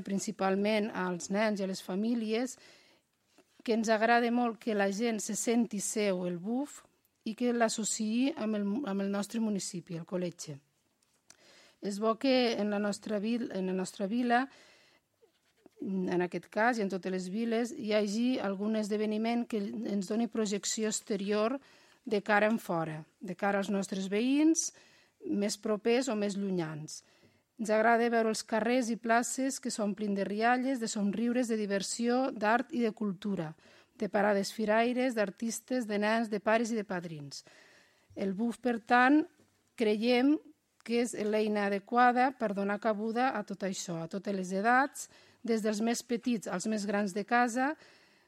principalment als nens i a les famílies, que ens agrada molt que la gent se senti seu el BUF i que l'associï amb el nostre municipi, el col·legi. És bo que en la nostra vila, en aquest cas i en totes les viles, hi hagi algun esdeveniment que ens doni projecció exterior de cara en fora, de cara als nostres veïns, més propers o més llunyans. Ens agrada veure els carrers i places que s'omplin de rialles, de somriures, de diversió, d'art i de cultura, de parades firaires, d'artistes, de nens, de pares i de padrins. El BUF, per tant, creiem que és l'eina adequada per donar cabuda a tot això, a totes les edats, des dels més petits als més grans de casa,